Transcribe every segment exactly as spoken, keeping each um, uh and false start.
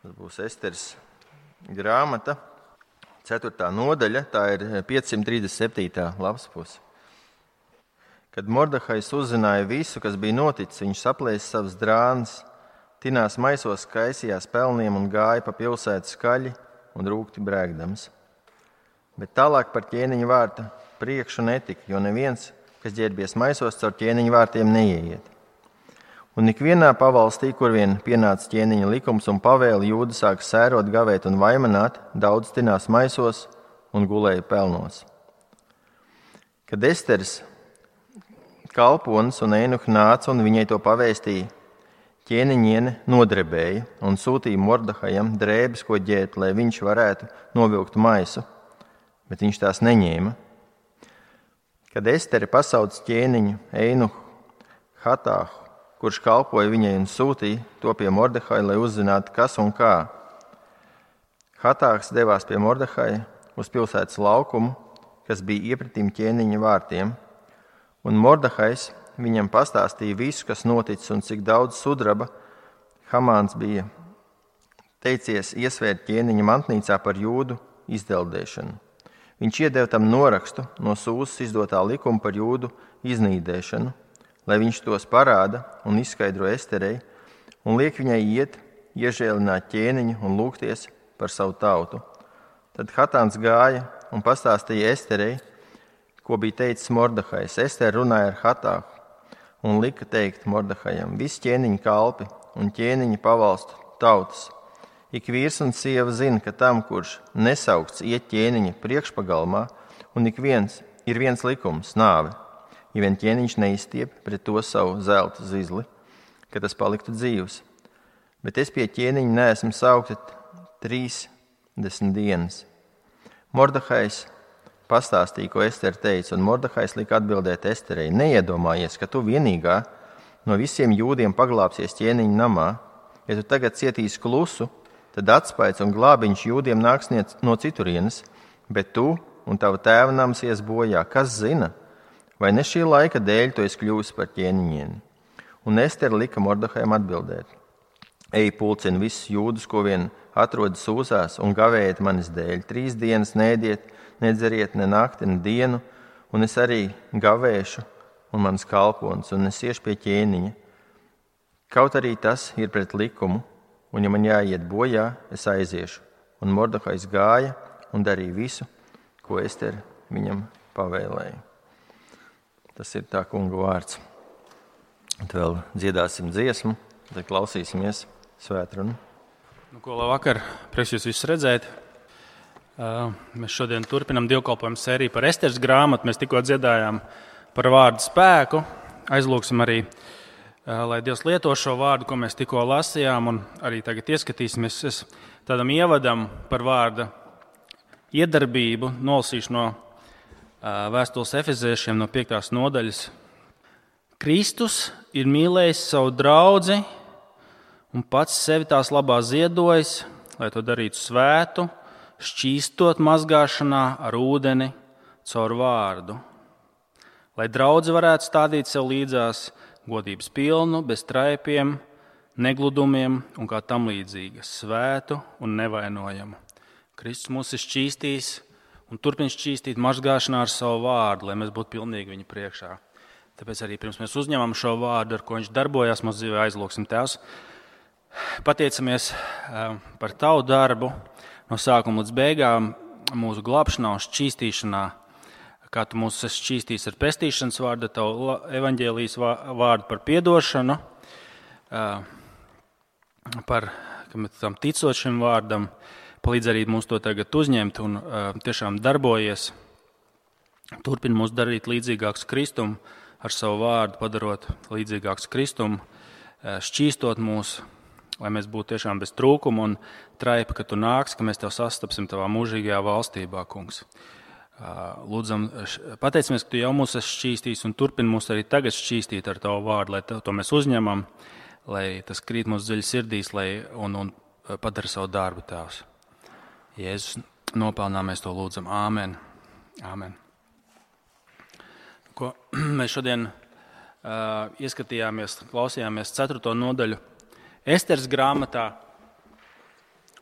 Tas būs Esteres grāmata, ceturtā nodaļa, tā ir piecsimt trīsdesmit septītā lapas puse. Kad Mordehais uzzināja visu, kas bija noticis, viņš saplēsa savas drānas, tinās maisos kaisījās pelniem un gāja pa pilsētu skaļi un rūgti brēgdams. Bet tālāk par ķēniņa vārta priekšu netika, jo neviens, kas ģērbies maisos, caur ķēniņa vārtiem neieiet. Un ikvienā pavalstī, kur vien pienāca ķēniņa likums un pavēle, jūdi sāka sērot, gavēt un vaimanāt, daudz tinās maisos un gulēja pelnos. Kad Esteres kalponis un Einuha nāca un viņai to pavēstīja, ķēniņiene nodrebēja un sūtīja Mordehajam drēbes, ko ģēt, lai viņš varētu novilkt maisu, bet viņš tās neņēma. Kad Estere pasauc ķēniņu Einuhu Hatāhu, kurš kalpoja viņai un sūtīja to pie Mordehaja, lai uzzinātu, kas un kā. Hatāhs devās pie Mordehaja uz pilsētas laukumu, kas bija iepratīm ķēniņa vārtiem, un Mordehais viņam pastāstīja visu, kas noticis un cik daudz sudraba Hamāns bija teicies iesvērt ķēniņa mantnīcā par jūdu izdeldēšanu. Viņš iedeva tam norakstu no Sūzas izdotā likuma par jūdu iznīdēšanu, lai viņš tos parāda un izskaidro Esterei un liek viņai iet, iežēlināt ķēniņu un lūgties par savu tautu. Tad Hatāns gāja un pastāstīja Esterei, ko bija teicis Mordehais. Estere runāja ar Hatāhu un lika teikt Mordehajam: visi ķēniņa kalpi un ķēniņa pavalstu tautas. Ik vīrs un sieva zina, ka tam, kurš nesaukts iet ķēniņa priekšpagalmā, un ik viens ir viens likums – nāve. Ja vien ķēniņš neizstiep pret to savu zelta zizli, ka tas paliktu dzīvs. Bet es pie ķēniņa neesmu saukta trīsdesmit dienas. Mordehais pastāstīja, ko Estere teica, un Mordehais lika atbildēt Esterei: neiedomājies, ka tu vienīgā no visiem jūdiem paglāpsies ķēniņa namā. Ja tu tagad cietīsi klusu, tad atspaids un glābiņš jūdiem nāks no citurienes, bet tu un tava tēva nams ies bojā. Kas zina? Vai ne šī laika dēļ tu esi kļuvusi par ķēniņieni? Un Estere lika Mordehajam atbildēt: ej, pulcini visus jūdus, ko vien atrodas Sūzās, un gavējiet manis dēļ. Trīs dienas nēdiet, nedzeriet ne nakti, ne dienu, un es arī gavēšu, un mans kalponis, un es iešu pie ķēniņa. Kaut arī tas ir pret likumu, un ja man jāiet bojā, es aiziešu. Un Mordehais gāja un darīja visu, ko Estere viņam pavēlēja. Tas ir tā kunga vārds. Tad vēl dziedāsim dziesmu, tad klausīsimies svētrunu. Nu, ko labvakar, prieks jūs visus redzēt. Uh, mēs šodien turpinam dievkalpojumu sēriju par Esteres grāmatu. Mēs tikko dziedājām par vārdu spēku. Aizlūksim arī, uh, lai Dievs lieto šo vārdu, ko mēs tikko lasījām, un arī tagad ieskatīsimies es tādam ievadam par vārda iedarbību, nolasīšu no Vēstules Efeziešiem no piektās nodaļas. Kristus ir mīlējis savu draudzi un pats sevi tās labā ziedojis, lai to darītu svētu, šķīstot mazgāšanā ar ūdeni caur vārdu. Lai draudze varētu stādīt sev līdzās godības pilnu, bez traipiem, negludumiem un kā tam līdzīga, svētu un nevainojamu. Kristus mūs ir šķīstījis un turpin šķīstīt mazgāšanā ar savu vārdu, lai mēs būtu pilnīgi viņa priekšā. Tāpēc arī pirms mēs uzņemam šo vārdu, ar ko viņš darbojās mūsu dzīvē, aizlūksim Tēvs. Pateicamies par tavu darbu no sākuma līdz beigām, mūsu glābšanā un šķīstīšanā, kā tu mūs esi šķīstījis ar pestīšanas vārdu, tavu evaņģēlijas vārdu par piedošanu, par tam ticot šim vārdam. Palīdz arī mums to tagad uzņemt un uh, tiešām darbojies. Turpin mūs darīt līdzīgāks Kristum ar savu vārdu, padarot līdzīgāks Kristum, uh, šķīstot mūs, lai mēs būtu tiešām bez trūkuma un traipa, ka tu nāks, ka mēs tev sastapsim tavā mūžīgajā valstībā, kungs. Uh, lūdzam, pateicamies, ka tu jau mūs esi šķīstījis un turpin mūs arī tagad šķīstīt ar tavu vārdu, lai to mēs uzņemam, lai tas krīt mūsu dziļi sirdīs lai, un, un padara savu darbu, Tēvs. Jēzus nopelnā mēs to lūdzam. Āmen. Āmen. Ko mēs šodien uh, ieskatījāmies, klausījāmies ceturto nodaļu Esteres grāmatā.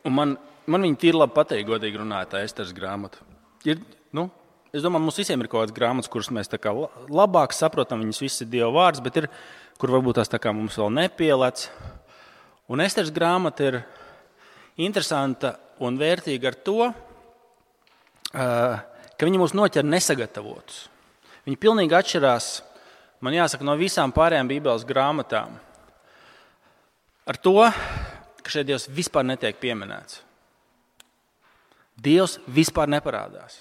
Un man, man viņa tīri labi patīk, godīgi runājot, tā Esteras grāmata. Ir, nu, es domāju, mums visiem ir kaut kādas grāmatas, kuras mēs tā kā labāk saprotam, viņas viss ir Dieva vārds, bet ir, kur varbūt tās tā kā mums vēl nepielec. Un Esteras grāmata ir interesanta un vērtīga ar to, ka viņa mūs noķer nesagatavotus. Viņa pilnīgi atšķirās, man jāsaka, no visām pārējām Bībeles grāmatām. Ar to, ka šeit Dievs vispār netiek pieminēts. Dievs vispār neparādās.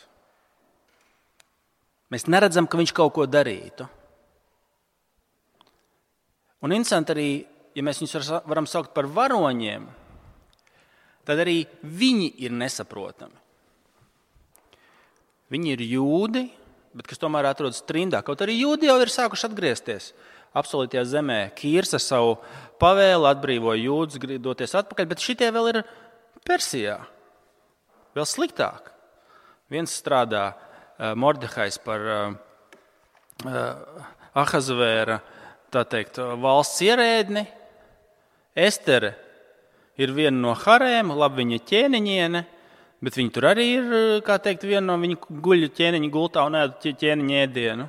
Mēs neredzam, ka viņš kaut ko darītu. Un interesanti arī, ja mēs viņus varam saukt par varoņiem, tad arī viņi ir nesaprotami. Viņi ir jūdi, bet kas tomēr atrodas trindā. Kaut arī jūdi jau ir sākuši atgriezties apsolītajā zemē. Kīrs ar savu pavēlu atbrīvoja jūdus doties atpakaļ, bet šitie vēl ir Persijā. Vēl sliktāk. Viens strādā uh, Mordehais par uh, uh, Ahazvēra, tā teikt, valsts ierēdni. Estere ir viena no harēm, labi viņa ķēniņiene, bet viņi tur arī ir, kā teikt, viena no viņa guļu ķēniņa gultā un ēd ķēniņa ēdienu.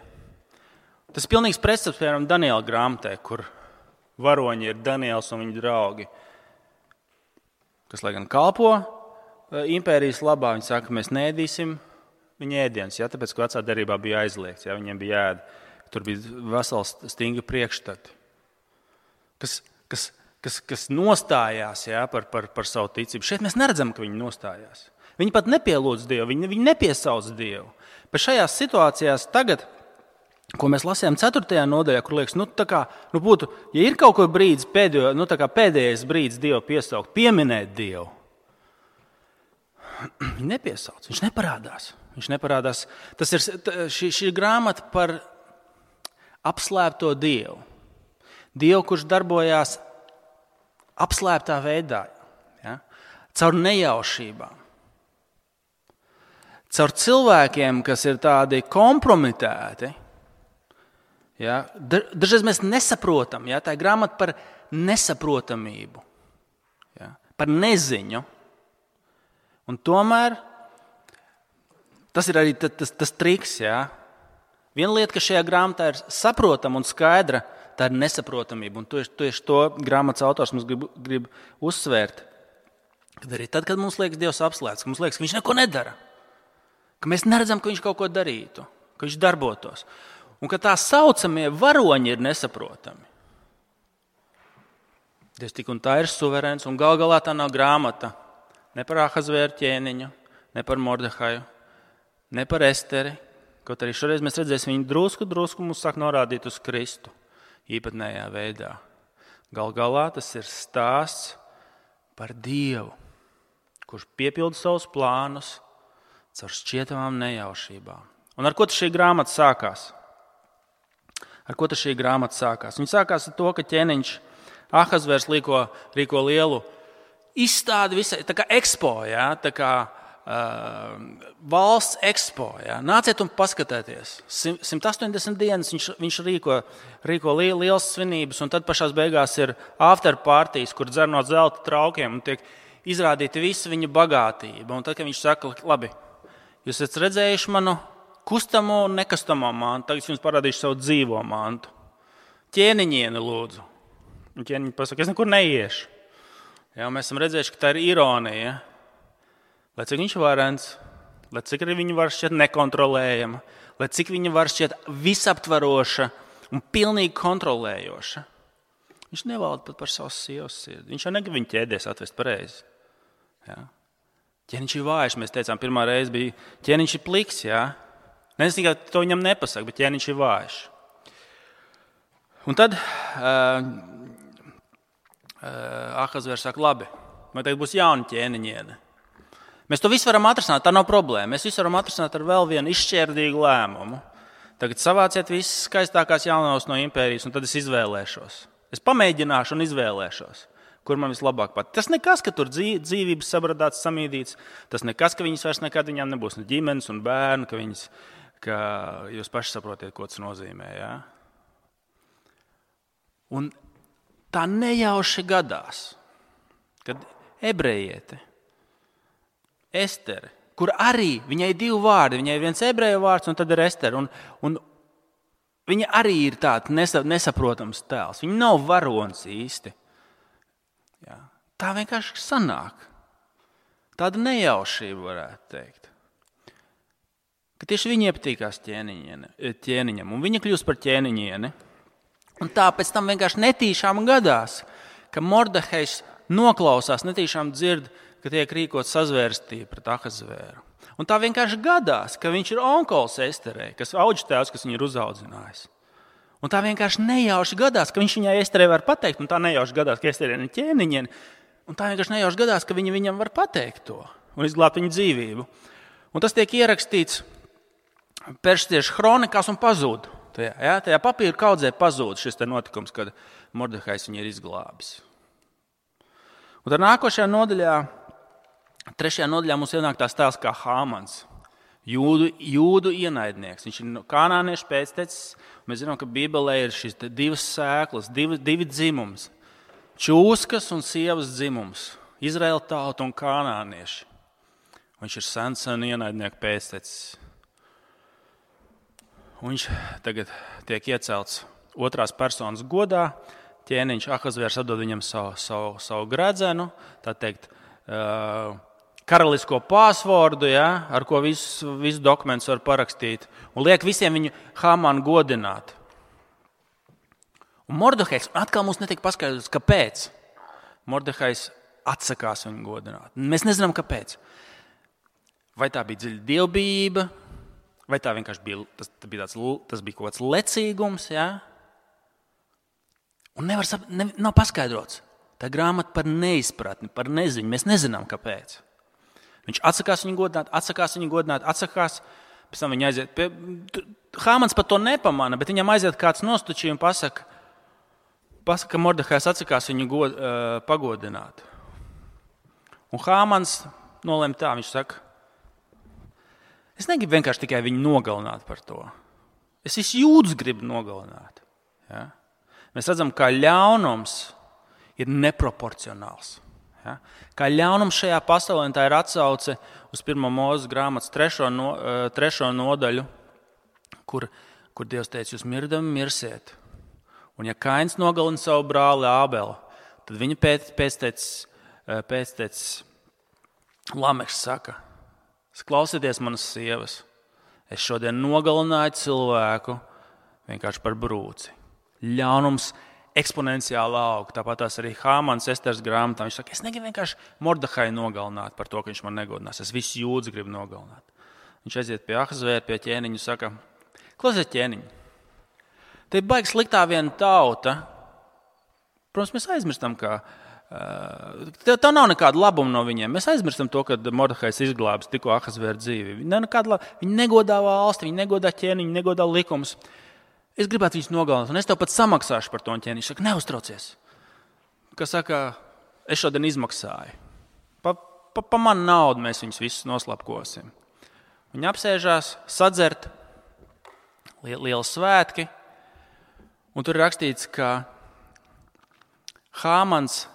Tas ir pilnīgs pretstats, piemēram, Daniela grāmatē, kur varoņi ir Daniels un viņa draugi, kas, lai gan kalpo impērijas labā, viņi saka, ka mēs neēdīsim viņa ēdienas, ja, tāpēc, ka vecā derībā bija aizliegts, ja, viņiem bija jāēd. Tur bija vesels stingri priekšstati, kas, kas, kas, kas nostājās, ja, par, par, par savu ticību. Šeit mēs neredzam, ka viņi nostājās. Viņi pat nepielūdz Dievu, viņi, viņi nepiesauc Dievu. Bet šajās situācijās tagad, ko mēs lasījām ceturtajā nodaļā, kur liekas, nu, tā kā, nu būtu, ja ir kaut ko brīdis, pēdējo, nu, tā kā pēdējais brīdis Dievu piesaukt, pieminēt Dievu, viņi nepiesauc, viņš neparādās. Viņš neparādās. Tas ir šī, šī grāmata par apslēpto Dievu. Dievu, kurš darbojās apslēptā veidā, ja? Caur nejaušībām. Caur cilvēkiem, kas ir tādi kompromitēti. Ja? Dažreiz mēs nesaprotam, ja? Tā ir grāmata par nesaprotamību, ja? Par neziņu. Un tomēr tas ir arī tas, tas, tas triks, ja? Viena lieta, kas šajā grāmatā ir saprotama un skaidra, tā ir nesaprotamība. Un tieši, tieši to grāmatas autors mums grib, grib uzsvērt. Kad arī tad, kad mums liekas Dievs apslēpts, ka mums liekas, ka viņš neko nedara, ka mēs neredzam, ka viņš kaut ko darītu, ka viņš darbotos. Un ka tā saucamie varoņi ir nesaprotami. Dievs tik un tā ir suverēns, un gal galā tā nav grāmata ne par Ahazvēra ķēniņu, ne par Mordehaju, ne par Esteri. Kaut arī šoreiz mēs redzēsim, viņi drusku, drusku mums sāk norādīt uz Kristu īpatnējā veidā. Gal galā tas ir stāsts par Dievu, kurš piepilda savus plānus caur šķietamām nejaušībām. Un ar ko tas šī grāmata sākās? Ar ko tas šī grāmata sākās? Viņa sākās ar to, ka ķēniņš Ahazvērs rīko, rīko lielu izstādi visai, tā kā ekspo, ja, tā kā Uh, valsts ekspo. Ja. Nāciet un paskatieties. simt astoņdesmit dienas viņš, viņš rīko, rīko li, liels svinības, un tad pašās beigās ir after partijas, kur dzer no zelta traukiem un tiek izrādīta visa viņa bagātība. Un tad, kad viņš saka, labi, jūs esat redzējuši manu kustamo un nekustamo mantu, tagad es jums parādīšu savu dzīvo mantu. Ķēniņieni lūdzu. Un ķēniņi pasaka, es nekur neiešu. Ja, mēs esam redzējuši, ka tā ir ironija. Ja. Lai cik viņš varens, lai cik arī viņa var šķiet nekontrolējama, lai cik viņa var šķiet visaptvaroša un pilnīgi kontrolējoša. Viņš nevalda pat par savu sievas sirdi. Viņš jau negrib viņu ķēdēs atvest pareizi. Ja? Ķēniņš ir vājš, mēs teicām, pirmā reize bija ķēniņš ir pliks. Ja? Nes tikai to viņam nepasaka, bet ķēniņš ir vājš. Un tad uh, uh, Ahazvērs saka, labi, vai tagad būs jauna ķēniņiene. Mēs to visu varam atrisināt, tā nav problēma. Mēs visu varam atrisināt ar vēl vienu izšķērdīgu lēmumu. Tagad savāciet visas skaistākās jaunās no impērijas, un tad es izvēlēšos. Es pamēģināšu un izvēlēšos, kur man vislabāk pat. Tas nekas, ka tur dzīvības sabradāts, samīdīts. Tas nekas, ka viņas vairs nekad viņām nebūs ne ģimenes un bērnu, ka, viņas, ka jūs paši saprotiet, ko tas nozīmē. Ja? Un tā nejauši gadās, kad ebrejiete Estere, kur arī viņai ir divi vārdi. Viņai ir viens ebreju vārds, un tad ir Estere. Un, un viņa arī ir tāds nesa, nesaprotams tēls. Viņa nav varonis īsti. Jā. Tā vienkārši sanāk. Tāda nejaušība, varētu teikt. Ka tieši viņa iepatīkās ķēniņam, un viņa kļūst par ķēniņieni. Un tā pēc tam vienkārši netīšām gadās, ka Mordehejs noklausās, netīšām dzird, ka tiek rīkot sazvērstība pret Ahasvēru. Un tā vienkārši gadās, ka viņš ir onkols Esterei, kas audžtēvs, kas viņu ir uzaudzinājis. Un tā vienkārši nejauši gadās, ka viņš viņai Esterei var pateikt, un tā nejauši gadās, ka Esterei ir ķēniņieni, un tā vienkārši nejauši gadās, ka viņa viņam var pateikt to un izglābt viņu dzīvību. Un tas tiek ierakstīts Perstiešu kronikās un pazūd. Tajā, ja, tajā papīra kaudzē pazūd šis te notikums, kad Mordehajs viņu ir izglābis. Un tad nākošajā nodaļā, trešajā nodaļā mums ienāk tās tēls kā Hāmans, jūdu, jūdu ienaidnieks. Viņš ir kanāniešu pēctecis. Mēs zinām, ka Bībelē ir šīs divas sēklas, divi, divi dzimums. Čūskas un sievas dzimums. Izraēla tauta un kanānieši. Viņš ir sens un ienaidnieku pēctecis. Un viņš tagad tiek iecelts otrās personas godā. Ķēniņš Ahasvērs atdod viņam savu, savu, savu gredzenu, tā teikt, karalisko pāsvordu, ja, ar ko visus visu dokumentus var parakstīt, un liek visiem viņu Hāmanu godināt. Un Mordehejs atkal mums netika paskaidrots, kāpēc Mordehejs atsakās viņu godināt. Mēs nezinām, kāpēc. Vai tā bija dziļa dievbijība, vai tā vienkārši bija, tas, bija, tāds, tas bija kaut kāds lecīgums, ja? Un nevar, ne, nav paskaidrots. Tā grāmata par neizpratni, par neziņu. Mēs nezinām, kāpēc. Viņš atsakās viņu godināt, atsakās viņu godināt, atsakās, pēc tam viņa aiziet. Pie, Hāmans pat to nepamana, bet viņam aiziet kāds nostučī un pasaka, pasaka ka Mordehajs atsakās viņu god, uh, pagodināt. Un Hāmans nolēma tā, viņš saka, es negribu vienkārši tikai viņu nogalināt par to. Es visu jūdus gribu nogalināt. Ja? Mēs redzam, kā ļaunums ir neproporcionāls. Ja? Kā ļaunums šajā pasaulē, tā ir atsauce uz pirmo Mūzes grāmatas trešo, no, trešo nodaļu, kur, kur Dievs teica, jūs mirdami mirsiet. Un ja Kains nogalina savu brāli Ābelu, tad viņa pēc, pēctecis, pēctecis Lameks saka, klausieties manas sievas, es šodien nogalināju cilvēku vienkārši par brūci. Ļaunums eksponenciāli aug. Tāpat tās arī Hāmans Esteres grāmatā. Viņš saka, es negribu vienkārši Mordehaju nogalināt par to, ka viņš man negodinās. Es visu jūdus gribu nogalināt. Viņš aiziet pie Ahasvēra, pie ķēniņa un saka, klausies ķēniņi, te ir baigi sliktā viena tauta. Protams, mēs aizmirstam, ka uh, tā nav nekāda labuma no viņiem. Mēs aizmirstam to, ka Mordehajs izglābis tikko Ahasvēra dzīvi. Viņi negodā valsti, viņi negodā ķēniņu, negodā likumus. Es gribētu viņus nogalināt, un es tev pat samaksāšu par to. Un ķēniņš saka, neuztraucies. Kas saka, es šodien izmaksāju. Pa, pa, pa manu naudu mēs viņus visus noslapkosim. Viņi apsēžās, sadzert, lieli svētki. Un tur ir rakstīts, ka Hāmans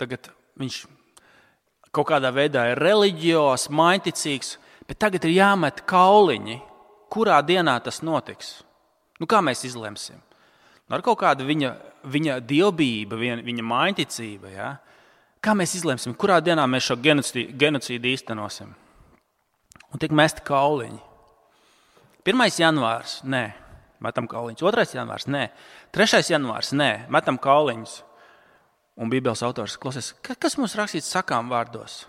tagad viņš kaut kādā veidā ir reliģijos, mainticīgs, bet tagad ir jāmet kauliņi, kurā dienā tas notiks. Nu, kā mēs izlemsim? Ar kaut kādu viņa, viņa dievbijība, viņa, viņa mainticība. Ja? Kā mēs izlemsim, kurā dienā mēs šo genocīdu, genocīdu īstenosim? Un tiek mesti kauliņi. pirmais janvārs, nē, metam kauliņus. otrais janvārs, nē. trešais janvārs, nē, metam kauliņus. Un Bībeles autors klausies, kas mums rakstīts sakām vārdos?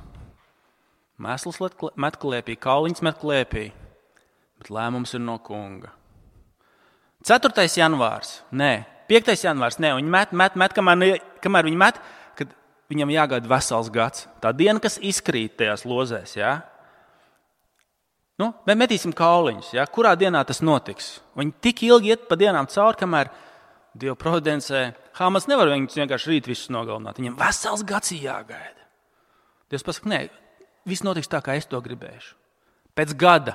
Mēsls met klēpī, kauliņus met klēpī, bet lēmums ir no kunga. ceturtais janvārs, nē, piektais janvārs, nē, viņi met, met, met, kamēr, kamēr viņi met, kad viņam jāgaida vesels gads. Tā diena, kas izkrīt tajās lozēs, jā. Nu, mēs metīsim kauliņus, jā, kurā dienā tas notiks. Viņi tik ilgi iet pa dienām cauri, kamēr Dieva providencē Hāmans nevar viņus vienkārši rīt visus nogalināt. Viņam vesels gads jāgaida. Dievs pasaka, nē, viss notiks tā, kā es to gribēšu. Pēc gada,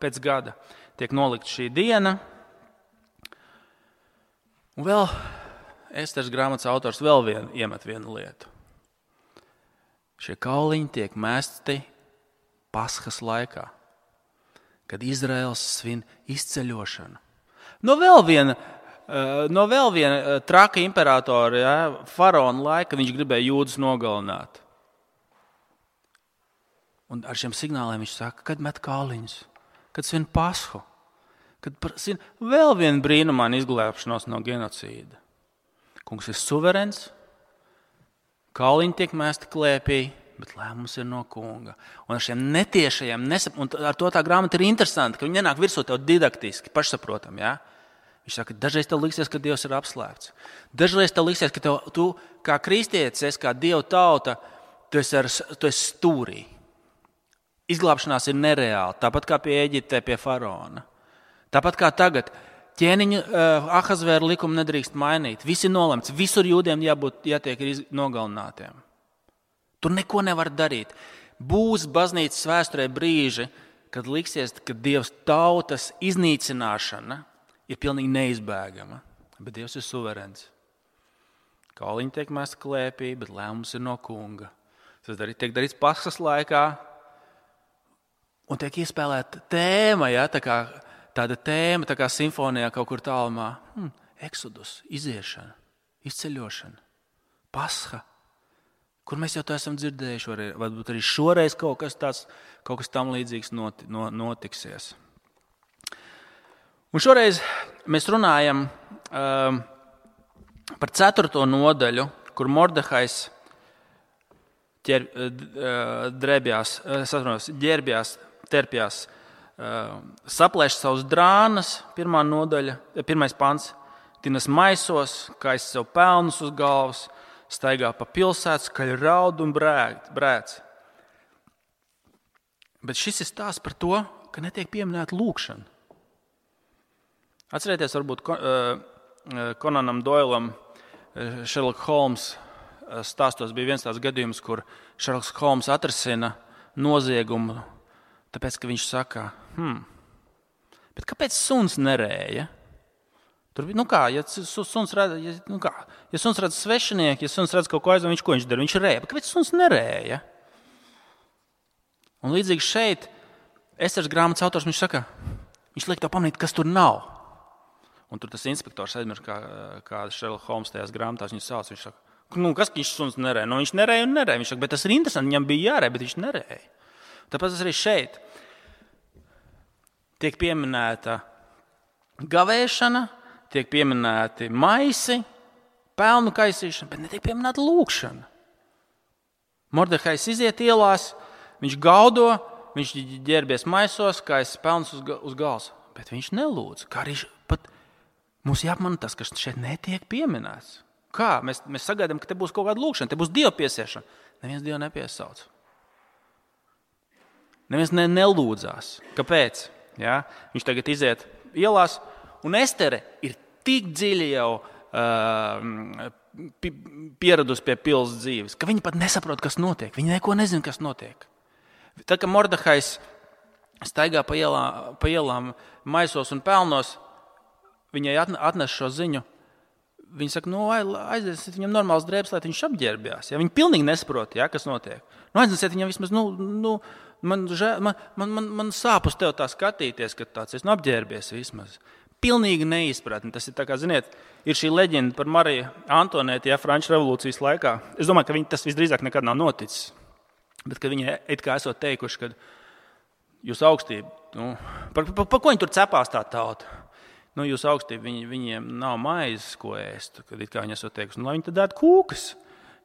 pēc gada tiek nolikt šī diena. Un vēl Esteres grāmatas autors vēl vien, iemet vienu lietu. Šie kauliņi tiek mesti Paskas laikā, kad Izraels svin izceļošanu. No vēl viena, no vēl viena traka imperatora, ja, faraona laika, viņš gribēja jūdus nogalināt. Un ar šiem signāliem viņš saka, kad met kāliņus, kad svin Pasku, kad svin vēl vienu brīnumainu izglābšanos no genocīda. Kungs ir suverens, kāliņi tiek mēsti klēpī, bet lēmums ir no kunga. Un ar šiem netiešajiem, nesap... un ar to tā grāmata ir interesanti, ka viņi nenāk virsū tev didaktiski, pašsaprotam, ja? Viņš saka, dažreiz tev liksies, ka Dievs ir apslēpts. Dažreiz tev liksies, ka tev, tu kā kristietis, esi kā Dieva tauta, tu esi, ar, tu esi stūrī. Izglābšanās ir nereāla, tāpat kā pie Eģiptē, pie faraona. Tāpat kā tagad, ķēniņu uh, Ahasvēra likumu nedrīkst mainīt. Viss ir nolemts, visur jūdiem jābūt, jātiek nogalinātiem. Tur neko nevar darīt. Būs baznīcas vēsturē brīži, kad liksies, ka Dievs tautas iznīcināšana ir pilnīgi neizbēgama. Bet Dievs ir suverens. Kāliņi tiek mesti klēpī, bet lēmums ir no kunga. Tas tiek darīts Paskas laikā un tiek iespēlēta tēma, ja, tā kā, tāda tēma, tā kā simfonijā kaut kur tālumā. Hmm, Exodus, iziešana, izceļošana, Pasha. Kur mēs jau to esam dzirdējuši, varbūt arī šoreiz kaut kas tāds, kaut kas tam līdzīgs notiksies. Un šoreiz mēs runājam um, par ceturto nodaļu, kur Mordehais ķer, drēbjās, saprotos, ģērbjās, terpjās, uh, saplēš savus drānas, pirmā nodaļa, pirmais pants, tinas maisos, kaisa sev pelnus uz galvas, staigā pa pilsētu, skaļi raud un brēc. Bet šis ir stāsts par to, ka netiek pieminēta lūkšana. Atcerieties, varbūt Konanam Doilam, Sherlock Holmes stāstos bija viens tāds gadījums, kur Sherlock Holmes atrisina noziegumu, tāpēc, ka viņš saka, hmm, bet kāpēc suns nerēja? Tur, nu kā, ja suns redz, ja, nu kā, ja suns redz svešinieku, ja suns redz kaut ko aizvien, viņš ko viņš dara? Viņš rēja. Bet kāpēc suns nerēja? Un līdzīgi šeit, Esteras grāmatas autors, viņš saka, viņš liek tev pamanīt, kas tur nav. Un tur tas inspektors aizmirst, kā, kā Sherlock Holmes tajās grāmatās viņu sauc. Viņš saka, nu kas viņš suns nerēja? Nu viņš nerēja un nerēja. Viņš saka, bet tas ir interesanti, viņam bija jārēja, bet viņš nerēja. Tāpēc arī šeit tiek pieminēta gavēšana, tiek pieminēti maisi, pelnu kaisīšana, bet netiek pieminēta lūkšana. Mordehais iziet ielās, viņš gaudo, viņš ģērbies maisos, kaisa pelnus uz, uz galvas, bet viņš nelūdz. Kā arī pat mums jāapmana tas, kas šeit netiek pieminēts. Kā? Mēs, mēs sagaidām, ka te būs kaut kāda lūkšana, te būs Dieva piesiešana. Neviens Dievu nepiesauc. Neviens ne, nelūdzās. Kāpēc? Ja? Viņš tagad iziet ielās, un Estere ir tik dziļi jau uh, pieradusi pie pils dzīves, ka viņa pat nesaprot, kas notiek. Viņa neko nezina, kas notiek. Tad, kad Mordehais staigā pa ielām, pa ielām maisos un pelnos, viņai atnes šo ziņu. Viņa saka, nu, aiziesiet viņam normāls drēbes, lai viņš apģērbjās. Ja? Viņa pilnīgi nesaprot, ja, kas notiek. Nu, aiziesiet viņam vismaz, nu, nu man, man, man, man, man sāp uz tev tā skatīties, ka tāds es nu, apģērbies vismaz. Pilnīgi neizpratni. Tas ir tā kā, ziniet, ir šī leģenda par Mariju Antonēti, ja, Franču revolūcijas laikā. Es domāju, ka viņi, tas visdrīzāk nekad nav noticis. Bet, ka viņi it kā esot teikuši, ka jūs augstība, nu, par, par, par ko viņi tur cepās tā tauta? Nu, jūs augstība, viņi, viņiem nav maizes, ko ēst, kad it kā viņi esot teikuši, nu, lai viņi tad ēd kūkas.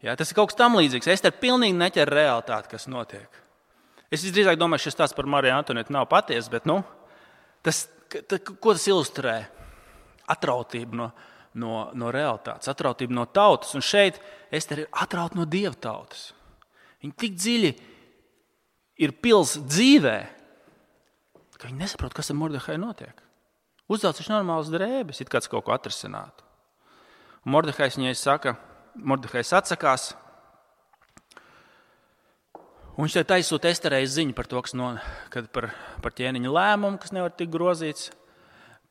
Ja, tas ir kaut kas tam līdzīgs. Ester pilnīgi neķer realitāti, kas notiek. Es visdrīzāk domāju, šis stāsts par Mariju Antonētu nav patiesa, bet, nu, tas, ko tas ilustrē? Atrautība no, no, no realitātes, atrautība no tautas. Un šeit Ester ir atrauta no Dieva tautas. Viņa tik dziļi ir pils dzīvē, ka viņa nesaprot, kas ar Mordehai notiek. Uzdāc viņš normāls drēbes, it kāds kaut ko atrisinātu. Un Mordehais viņai saka, Mordehais atsakās, un viņš tagad aizsūta Esterei ziņu par to, kas no, kad par, par ķēniņa lēmumu, kas nevar tikt grozīts,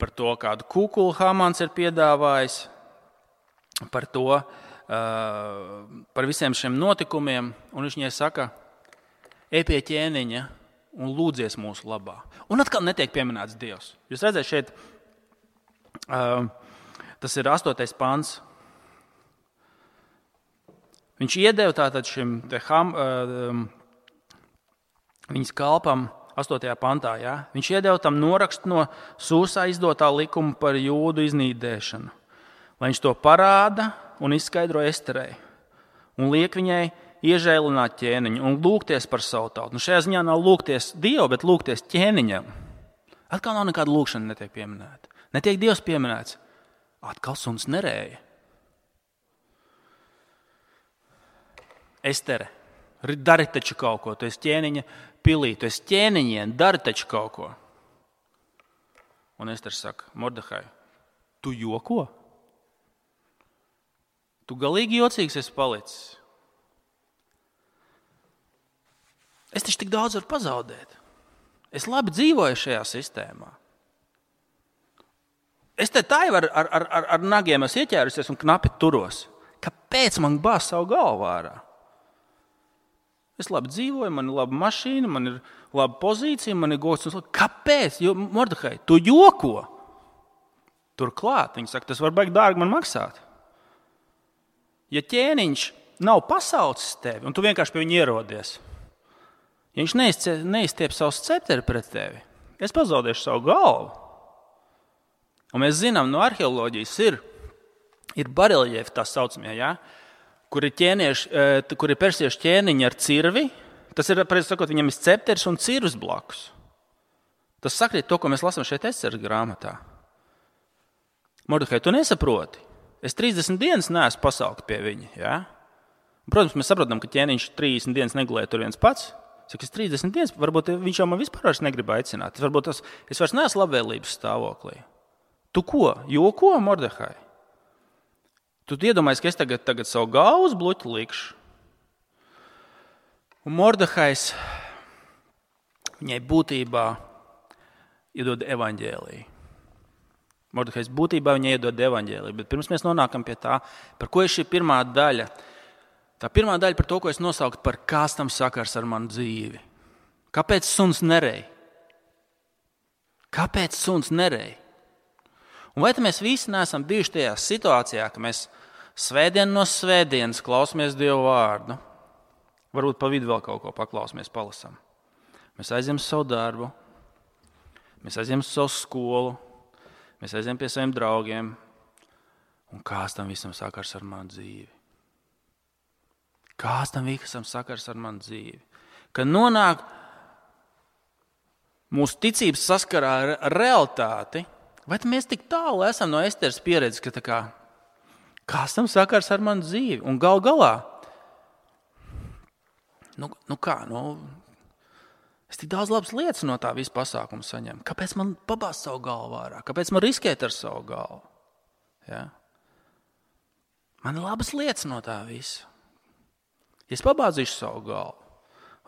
par to, kādu kukulu Hamans ir piedāvājis, par to, uh, par visiem šiem notikumiem, un viņš viņai saka, ej pie ķēniņa, un lūdzies mūsu labā. Un atkal netiek pieminēts Dievs. Jūs redzat šeit, uh, tas ir astotais pants. Viņš iedeva tātad šim te ham, uh, viņas kalpam astotajā pantā. Ja? Viņš iedeva tam norakstu no Sūsā izdotā likuma par jūdu iznīdēšanu, lai viņš to parāda un izskaidro Esterei un liek viņai iežēlināt ķēniņu un lūgties par savu tautu. Nu, šajā ziņā nav lūgties Dievu, bet lūgties ķēniņam. Atkal nav nekāda lūgšana netiek pieminēta. Netiek Dievs pieminēts. Atkal suns nerēja. Estere, dari taču kaut ko. Tu esi ķēniņa pilī, tu esi ķēniņien, dari taču kaut ko. Un Estere saka, Mordehai, tu joko? Tu galīgi jocīgs esi palicis. Es taču tik daudz varu pazaudēt. Es labi dzīvoju šajā sistēmā. Es te tā jau ar, ar, ar, ar nagiem esmu ieķērusies un knapi turos. Kāpēc man bāz savu galvu ārā? Es labi dzīvoju, man ir laba mašīna, man ir laba pozīcija, man ir gods. Kāpēc? Jo, Mordehai, tu joko. Turklāt, viņi saka, tas var baigt dārgi man maksāt. Ja ķēniņš nav pasaucis tevi, un tu vienkārši pie viņa ierodies, ja viņš neizstiep savu scepteri pret tevi, es pazaudēšu savu galvu. Un mēs zinām, no arheoloģijas ir, ir bareljefi tā saucamie, ja? kur ir, kur ir persiešu ķēniņi ar cirvi. Tas ir, sakot, viņam ir scepteris un cirvis blakus. Tas sakrīt to, ko mēs lasām šeit Esteres grāmatā. Mordehai, tu nesaproti. Es trīsdesmit dienas neesmu pasaukt pie viņa. Ja? Protams, mēs saprotam, ka ķēniņš trīsdesmit dienas negulēja tur viens pats. Saka, es trīsdesmit dienas, varbūt viņš jau man vispār vairs negrib aicināt. Varbūt tas, es vairs neesmu labvēlības stāvoklī. Tu ko? Joko, Mordehai? Tu iedomājies, ka es tagad, tagad savu galvu uz bluķu likšu. Un Mordehais viņai būtībā iedod evaņģēliju. Mordehais būtībā viņai iedod evaņģēliju. Bet pirms mēs nonākam pie tā, par ko ir šī pirmā daļa. Tā pirmā daļa par to, ko es nosaukt par kāds tam sakars ar manu dzīvi. Kāpēc suns nerej? Kāpēc suns nerej? Un vai mēs visi neesam bijuši tajā situācijā, ka mēs svētdienu no svētdienas klausamies Dievu vārdu? Varbūt pa vidu vēl kaut ko paklausamies, palasam. Mēs aizjām uz savu darbu, mēs aizjām uz savu skolu, mēs aizjām pie saviem draugiem. Un kāds tam visam sakars ar manu dzīvi? Kāds tam visam sakars ar manu dzīvi? Kad nonāk mūsu ticības saskarā ar realitāti, vai mēs tik tālu esam no Esteres pieredzes, ka tā kā, kāds tam sakars ar manu dzīvi? Un gal galā, nu, nu kā, nu, es tik daudz labas lietas no tā visu pasākumu saņemu. Kāpēc man pabāzt savu galvu ārā? Kāpēc man riskēt ar savu galvu? Ja? Man ir labas lietas no tā visa. Ja es pabāzīšu savu galvu,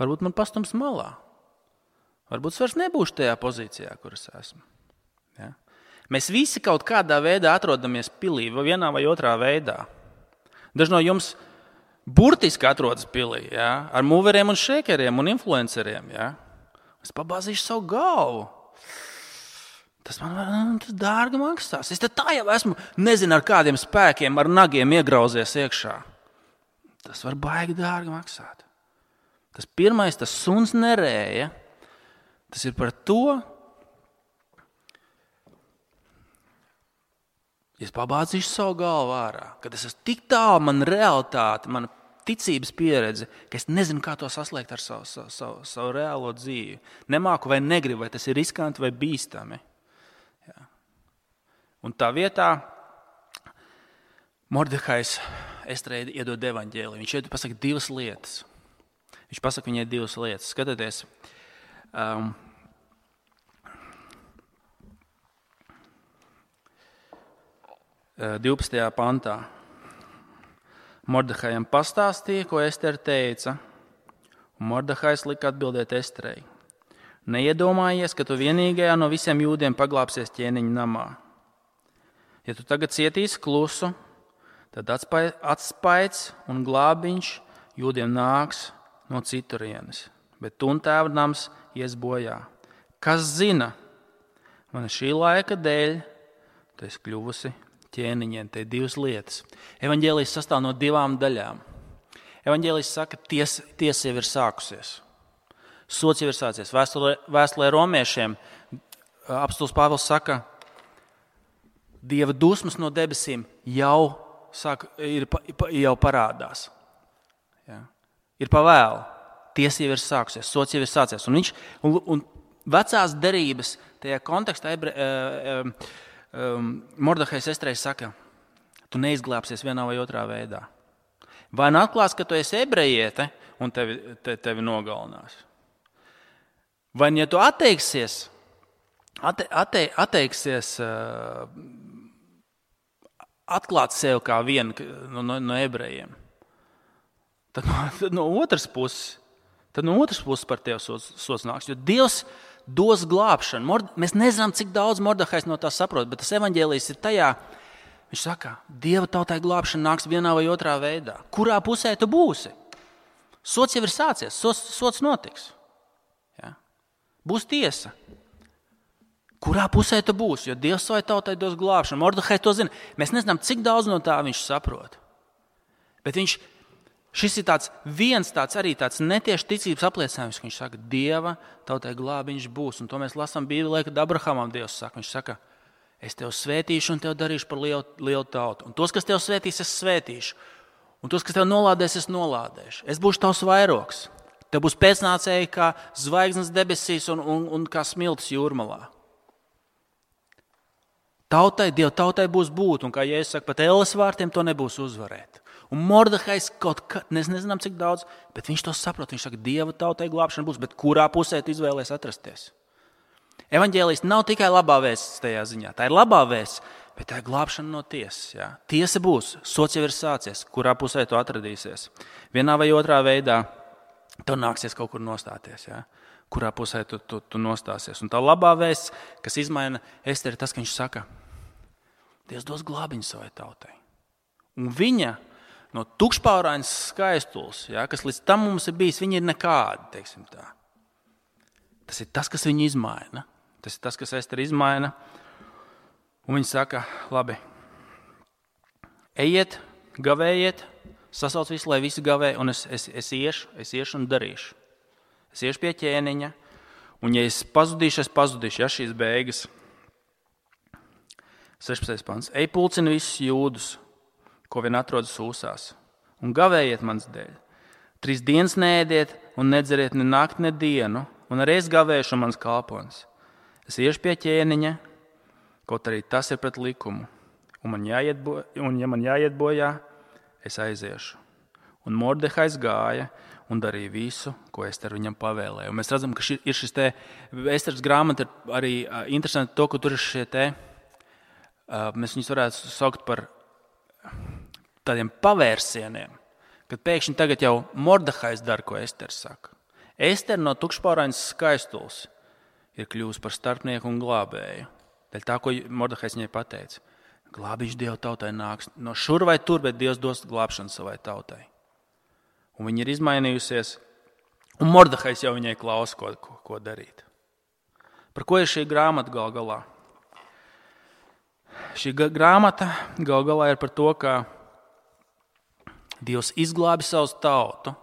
varbūt man pastums malā. Varbūt es vairs nebūšu tajā pozīcijā, kur es esmu. Ja? Mēs visi kaut kādā veidā atrodamies pilī, vienā vai otrā veidā. Daži no jums burtiski atrodas pilī, ja? Ar mūveriem un šēkeriem un influenceriem. Ja? Es pabāzīšu savu galvu. Tas man tas dārgi maksās. Es te tā jau esmu, nezinu ar kādiem spēkiem, ar nagiem iegrauzies iekšā. Tas var baigi dārgi maksāt. Tas pirmais, tas suns nerēja, tas ir par to, ja es pabāzīšu savu galvu ārā, kad es esmu tik tālu, man realitāte, mana ticības pieredze, ka es nezinu, kā to saslēgt ar savu, savu, savu, savu reālo dzīvi. Nemāku vai negribu, vai tas ir riskanti vai bīstami. Jā. Un tā vietā Mordehais Esterei iedod evaņģēliju. Viņš šeit pasaka divas lietas. Viņš pasaka viņai divas lietas. Skatieties, um, divpadsmitajā pantā. Mordehajam pastāstīja, ko Estere teica, un Mordehais lika atbildēt Esterei. Neiedomājies, ka tu vienīgajā no visiem jūdiem paglāpsies ķēniņa namā. Ja tu tagad cietīsi klusu, tad atspaids un glābiņš jūdiem nāks no citurienes. bet tu un tēva nams ies bojā. Kas zina, man šī laika dēļ, tu esi kļuvusi ķēniņiem, te divas lietas. Evaņģēlijs sastāv no divām daļām. Evaņģēlijs saka, ties, tiesa jau ir sākusies. Sots jau ir sācies. Vēstulē, vēstulē romiešiem apostuls Pāvils saka, Dieva dusmas no debesīm jau, sāk, ir, jau parādās. Ja? Ir pavēlu. Tiesa jau ir sākusies. Sots jau ir sācies. Un, viņš, un, un vecās derības tajā kontekstā ebre, uh, um, Mordehais Estrei saka, tu neizglābsies vienā vai otrā veidā. Vai nu atklās, ka tu esi ebrejiete un tevi, te, tevi nogalinās. Vai ja tu atteiksies, atte, atte, atteiksies uh, atklāt sev kā vienu no, no, no ebrejiem, tad no, tad no otras puses, tad no otras puses par tevi sots, sots nāks. Jo Dievs dos glābšanu. Mord, mēs nezinām, cik daudz Mordehais no tā saprot, bet tas evaņģēlijs ir tajā, viņš saka, Dieva tautai glābšana nāks vienā vai otrā veidā. Kurā pusē tu būsi? Sots jau ir sācies, sots, sots notiks. Ja? Būs tiesa. Kurā pusē tu būsi? Jo Dievs savai tautai dos glābšanu. Mordehais to zina. Mēs nezinām, cik daudz no tā viņš saprot. Bet viņš, šis ir tāds viens tāds arī tāds netieši ticības apliecinājums, ka viņš saka, Dieva tautai glābiņš būs. Un to mēs lasām Bībelē, kad Abrahamam Dievs saka. Viņš saka, es tev svētīšu un tev darīšu par lielu, lielu tautu. Un tos, kas tev svētīs, es svētīšu. Un tos, kas tev nolādēs, es nolādēšu. Es būšu tavs vairogs. Tev būs pēcnācēji kā zvaigznes debesīs un, un, un kā smiltis jūrmalā. Tautai, Dieva tautai būs būt, un kā Jēzus saka, pat elles vārtiem to nebūs uzvarēt. Un Mordehais kaut kā, mēs nezinām cik daudz, bet viņš to saprot. Viņš saka, Dieva tautai glābšana būs, bet kurā pusē tu izvēlies atrasties? Evaņģēlijs nav tikai labā vēsts tajā ziņā. Tā ir labā vēsts, bet tā ir glābšana no tiesas. Jā. Tiesa būs, sots jau ir sācies, kurā pusē tu atradīsies. Vienā vai otrā veidā tev nāksies kaut kur nostāties. Jā. Kurā pusē tu, tu, tu nostāsies. Un tā labā vēsts, kas izmaina Esteri, tas, ka viņš saka, Dievs dos glābiņu savai tautai. Un viņa no tukšpaurainas skaistules, ja, kas līdz tam mums ir bijis, viņa ir nekāda, teiksim tā. Tas ir tas, kas viņu izmaina. Tas ir tas, kas Esteri izmaina. Un viņa saka, labi, ejiet, gavējiet, sasauc visu, lai visi gavē, un es, es, es iešu, es iešu un darīšu. Es iešu pie ķēniņa, un ja es pazudīšu, es pazudīšu, ja šīs beigas. sešpadsmitais pants. Ej pulcini visus jūdus, ko vien atrodas ūsās, un gavējiet mans dēļ. Trīs dienas neēdiet un nedzeriet ne nakti, ne dienu, un arī es gavēšu mans kalpons. Es iešu pie ķēniņa, kaut arī tas ir pret likumu, un, man jāiet bo, un ja man jāiet bojā, es aiziešu. Un Mordehais gāja un darīja visu, ko Ester viņam pavēlēja. Un mēs redzam, ka ši, ir šis te, Esteras grāmata ir arī uh, interesanti to, ka tur ir šie te, Uh, mēs viņus varētu saukt par tādiem pavērsieniem, kad pēkšņi tagad jau Mordehais dara, ko Ester saka. Ester no tukšpaurainas skaistules ir kļuvusi par starpnieku un glābēju. Dēļ tā, ko Mordehais viņai pateica. Glābiņš Dieva tautai nāks no šur vai tur, bet Dievs dos glābšanu savai tautai. Un viņa ir izmainījusies, un Mordehais jau viņai klausa, ko, ko, ko darīt. Par ko ir šī grāmata gal galā? Šī grāmata gal galā ir par to, ka Dievs izglābi savu tautu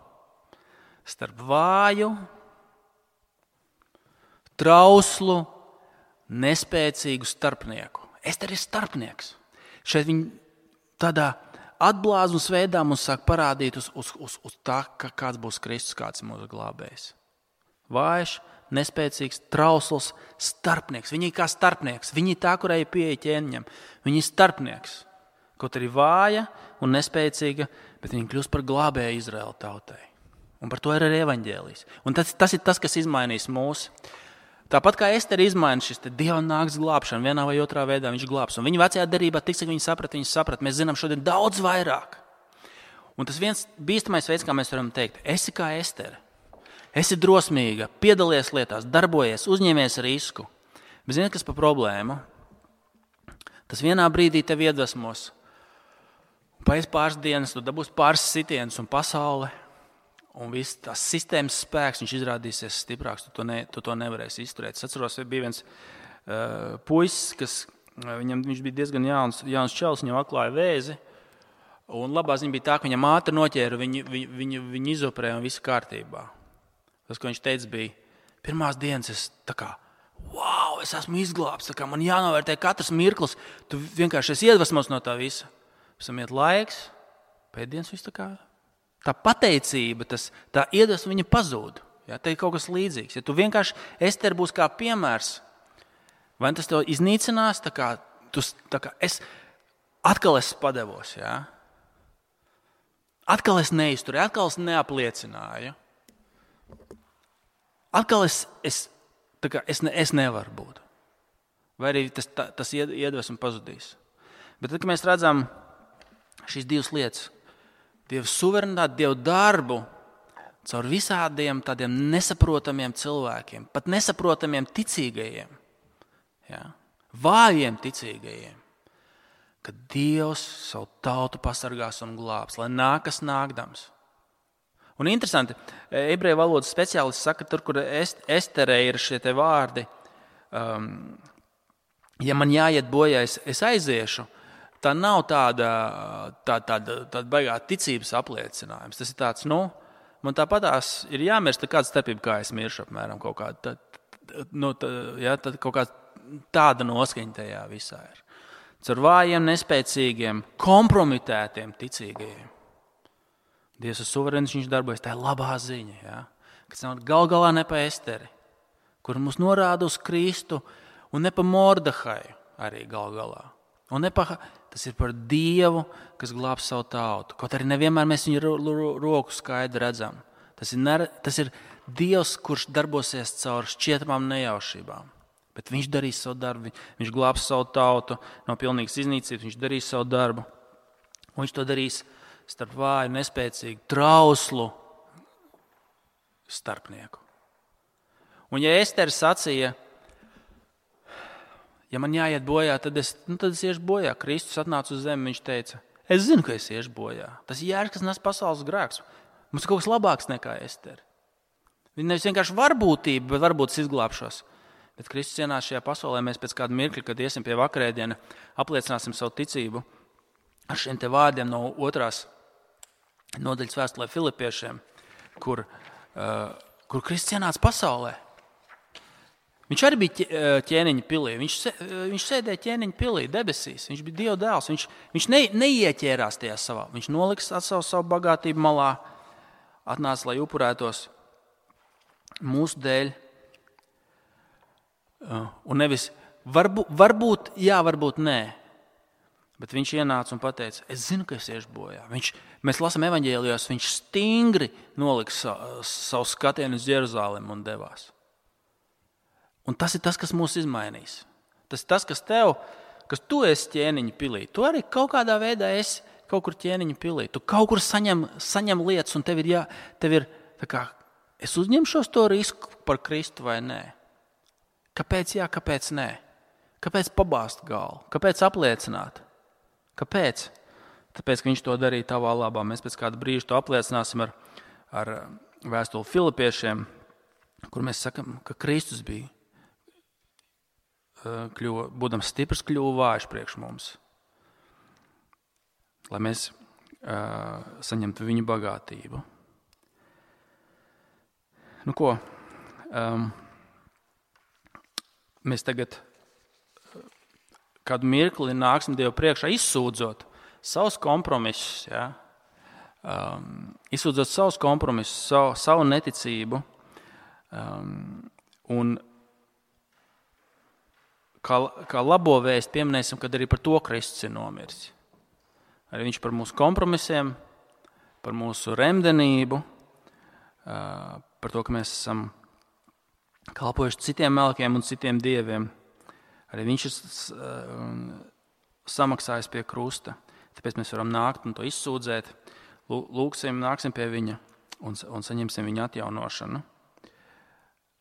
starp vāju, trauslu, nespēcīgu starpnieku. Ester ir starpnieks. Šeit viņi tādā atblāzmas veidā mums sāk parādīt uz, uz, uz, uz tā, ka kāds būs Kristus, kāds ir mūsu glābējs. Vājš, nespēcīgs, trausls starpnieks. Viņi ir kā starpnieks. Viņi ir tā, kurai ir pieeja ķēniņam. Viņi ir starpnieks. Kaut arī vāja un nespēcīga, bet viņi kļūst par glābēju Izraēla tautai. Un par to ir arī evaņģēlijs. Un tas, tas ir tas, kas izmainīs mūs. Tāpat kā Ester izmaina šis te Dieva nāks glābšana, vienā vai otrā veidā viņš glābs. Un viņa vecajā derībā tik, cik viņi saprat, viņi saprat. Mēs zinām šodien daudz vairāk. Un tas viens bīstamais veids, kā mēs varam teikt, esi kā Estere. Esi drosmīga, piedalies lietās, darbojies, uzņemies risku. Bet zini, kas par problēmu? Tas vienā brīdī tev iedvesmos. Pēc pāris dienas tu dabūsi pāris sitienus un pasaule un viss tās sistēmas spēks, viņš izrādīsies stiprāks, tu to, ne, tu to nevarēsi izturēt. Es atceros, bija viens uh, puisis, kas, viņam, viņš bija diezgan jauns, jauns čels, viņam atklāja vēzi, un labā ziņa bija tā, ka viņam ātri noķēra, viņu, viņu, viņu, viņu izoperēja un viss kārtībā. Tas, ko viņš teica, bija, pirmās dienas es tā kā, wow, es esmu izglābts, tā kā man jānovērtē katrs mirklis, tu vienkārši esi iedvesmos no tā visa. Pēc tam iet laiks, pēdienas viss tā kā, tā pateicība, tas, tā iedvesma viņa pazūd. Ja, te ir kaut kas līdzīgs. Ja tu vienkārši, Ester būs kā piemērs, vai tas tev iznīcinās, tā kā, tu, tā kā es, atkal es padevos, ja? Atkal es neizturēju, atkal es neapliecināju. Atkal es, es, tā kā, es, ne, es nevaru būt. Vai arī tas, tā, tas iedvesma pazudīs. Bet tad, kad mēs redzam šīs divas lietas, Dieva suverenitāti, Dieva darbu caur visādiem tādiem nesaprotamiem cilvēkiem, pat nesaprotamiem ticīgajiem, ja? Vājiem ticīgajiem, ka Dievs savu tautu pasargās un glābs, lai nākas nākdams. Un interesanti, ebreju valodas speciālisti saka, tur, kur Esterē ir šie te vārdi, um, ja man jāiet bojā, es, es aiziešu, tā nav tāda, tā, tāda, tāda baigā ticības apliecinājums. Tas ir tāds, nu, man tāpatās ir jāmirst kāda starpība, kā es miršu apmēram kaut kāda, tā, nu, tā, ja, tā, kaut kāda tāda noskaņa tajā visā ir. Caur vājiem, nespēcīgiem, kompromitētiem ticīgajiem. Dievs ir suverēns, viņš darbojas, tā ir labā ziņa, ja, kas nav gal galā ne pa Esteri, kur mums norāda uz Kristu, un ne pa Mordehaju arī gal galā. Un ne pa, tas ir par Dievu, kas glāb savu tautu. Kaut arī nevienmēr mēs viņu ro, ro, roku skaidri redzam. Tas ir, ne, tas ir Dievs, kurš darbosies caur šķietamām nejaušībām. Bet viņš darīs savu darbu, viņš glābs savu tautu no pilnīgas iznīcības, viņš darīs savu darbu. Un viņš to darīs starp vāju, nespēcīgu, trauslu starpnieku. Un ja Ester sacīja, ja man jāiet bojā, tad es, nu, tad es iešu bojā. Kristus atnāca uz zemi, viņš teica, es zinu, ka es iešu bojā. Tas ir jērs, kas nes pasaules grēks. Mums ir kaut kas labāks nekā Ester. Viņa nevis vienkārši varbūtība, bet varbūt es izglābšos. Bet Kristus ienāca šajā pasaulē, mēs pēc kāda mirkļa, kad iesim pie vakarēdiena, apliecināsim savu ticību ar šiem te vārdiem no otrās nodaļas vēstulē Filipiešiem, kur, uh, kur Kristus ienāca pasaulē. Viņš arī bija ķēniņa pilī. Viņš, viņš sēdēja ķēniņa pilī, debesīs. Viņš bija Dieva dēls. Viņš, viņš ne, neieķērās tajā savā. Viņš noliks savu, savu bagātību malā, atnāca, lai upurētos mūsu dēļ. Un nevis varbūt, varbūt jā, varbūt nē. Bet viņš ienāca un pateica, es zinu, ka es iešu bojā. Viņš, mēs lasām evaņģēlijos, viņš stingri noliks savu, savu skatienu uz Jeruzalemi un devās. Un tas ir tas, kas mūs izmainīs. Tas ir tas, kas tev, kas tu esi ķēniņa pilī. Tu arī kaut kādā veidā esi kaut kur ķēniņa pilī. Tu kaut kur saņem, saņem lietas un tev ir, jā, tev ir tā kā, es uzņemšos to risku par Kristu vai nē. Kāpēc jā, kāpēc nē? Kāpēc pabāzt galvu? Kāpēc apliecināt? Kāpēc? Tāpēc, ka viņš to darīja tavā labā. Mēs pēc kāda brīža to apliecināsim ar, ar vēstuli Filipiešiem, kur mēs sakam, ka Kristus bija. Kļuva, būdams stiprs, kļuva vājš priekš mums, lai mēs uh, saņemtu viņa bagātību. Nu ko, um, mēs tagad kādu mirkli nāksim Dievu priekšā izsūdzot savus kompromisus, ja? um, izsūdzot savus kompromisus, savu, savu neticību um, un Kā, kā labo vēstu pieminēsim, kad arī par to Kristus ir nomiris. Arī viņš par mūsu kompromisiem, par mūsu remdenību, par to, ka mēs esam kalpojuši citiem melkiem un citiem dieviem. Arī viņš ir samaksājis pie krusta. Tāpēc mēs varam nākt un to izsūdzēt. Lūksim, nāksim pie viņa un, un saņemsim viņa atjaunošanu.